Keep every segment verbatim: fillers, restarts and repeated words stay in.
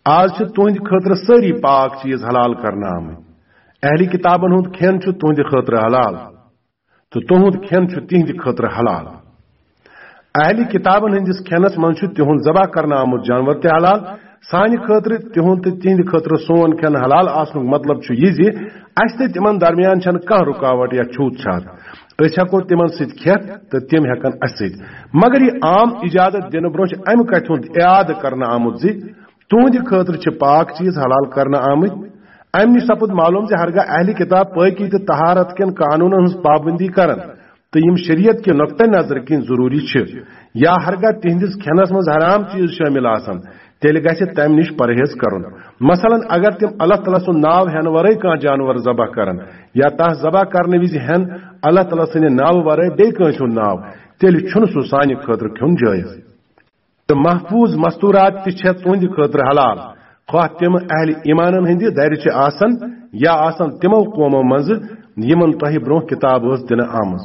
آز چھِ تُہنٛدِ خٲطرٕ سٲری پاک چیز حلال کرنہٕ آمٕتۍ۔ اہلِ کتابن ہُنٛد کھٮ۪ن چھُ تُہنٛدِ خٲطرٕ حلال، تہٕ تُہنٛد کھٮ۪ن چھُ تِہنٛدِ خٲطرٕ حلال۔ اہلِ کتابن ہٕنٛدِس کھٮ۪نس منٛز چھُ تِہُنٛد ذبح کرنہٕ آمُت جانور تہِ حلال۔ سانہِ خٲطرٕ، تِہُنٛد تہٕ تِہنٛدِ خٲطرٕ سون کھٮ۪ن حلال آسنُک مطلب چھُ یہِ زِ اسہِ تہٕ تِمن درمیان چھنہٕ کانٛہہ رُکاوٹ یا چھوت چھات۔ أسۍ ہٮ۪کو تِمن سۭتۍ کھٮ۪تھ تہٕ تِم ہٮ۪کن اسہِ سۭتۍ۔ مگر یہِ عام اجازت دِنہٕ برونٛہہ چھُ امہِ کتھِ ہُنٛد اعادٕ کرنہٕ آمُت زِ تُہنٛدِ خٲطرٕ چھِ پاک چیز حلال کرنہٕ آمٕتۍ۔ امہِ نِش سپُد معلوم زِ ہرگاہ اہلِ کتاب پٲکی تہٕ طہارت کٮ۪ن قانونن ہٕنٛز پابندی کرن، تہٕ یِم شریعت کہِ نقطہ نظر کِنۍ ضروری چھِ، یا ہرگاہ تِہنٛدِس کھٮ۪نس منٛز حرام چیز شٲمِل آسن، تیٚلہِ گژھِ تمہِ نِش پرہیز کرُن۔ مثلاً، اگر تِم اللہ تعالیٰ سُنٛد ناو ہٮ۪نہٕ ورٲے کانٛہہ جانور ذبح کرن، یا تس ذبح کرنہٕ وِزِ ہٮ۪ن اللہ تعالیٰ سٕنٛدِ ناوٕ ورٲے بیٚیہِ کٲنٛسہِ ہُنٛد ناو، تیٚلہِ چھُنہٕ سُہ سانہِ خٲطرٕ کھیوٚن جٲیز۔ تہٕ محفوظ مستورات تہِ چھےٚ تُہنٛدِ خٲطرٕ حلال، خواہ تِم اہلِ ایمانن ہٕنٛدِ درِ چھِ آسن یا آسن تِمو قومو منٛزٕ یِمن تۄہہِ برونٛہہ کتاب ٲس دِنہٕ آمٕژ۔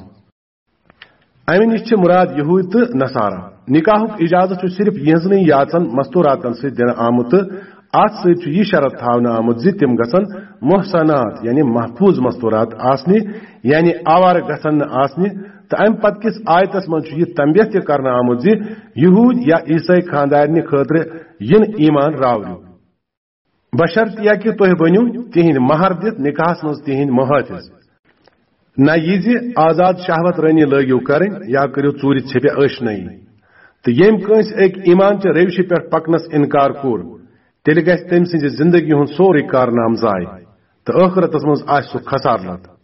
امہِ نِش چھِ مراد یہودۍ تہٕ نصارہ۔ نکاحُک اجازت چھُ صرف یِہنٛزنٕے یاژن مستوراتن سۭتۍ دِنہٕ آمُت تہٕ اتھ سۭتۍ چھُ یہِ شرط تھاونہٕ آمُت زِ تِم گژھن محصنات، یعنی محفوظ مستورات آسنہِ، یعنی آوارٕ گژھن نہٕ آسنہِ۔ تہٕ امہِ پتہٕ کِس آیتس منٛز چھُ یہِ تنبیہ تہِ کرنہٕ آمُت زِ یہودۍ یا عیسٲے خاندارنہِ خٲطرٕ یِن ایمان راوریُک، بشرطیہ کہِ تُہۍ بٔنِو تِہنٛدۍ مہر دِتھ نکاحس منٛز تِہنٛدۍ محٲفظ۔ نہ یہِ زِ آزاد شہوت رٲنی لٲگِو کرٕنۍ یا کٔرِو ژوٗرِ ژھیٚپہِ ٲشنٲیی۔ تہٕ ییٚمۍ کٲنٛسہِ أکۍ ایمان چہِ روشہِ پٮ۪ٹھ پکنس انکار کوٚر، تیٚلہِ گژھِ تٔمۍ سٕنٛزِ زندگی ہُنٛد سورُے کارنامہٕ ضایع، تہٕ ٲخرتس منٛز آسہِ سُہ خسارٕ لد۔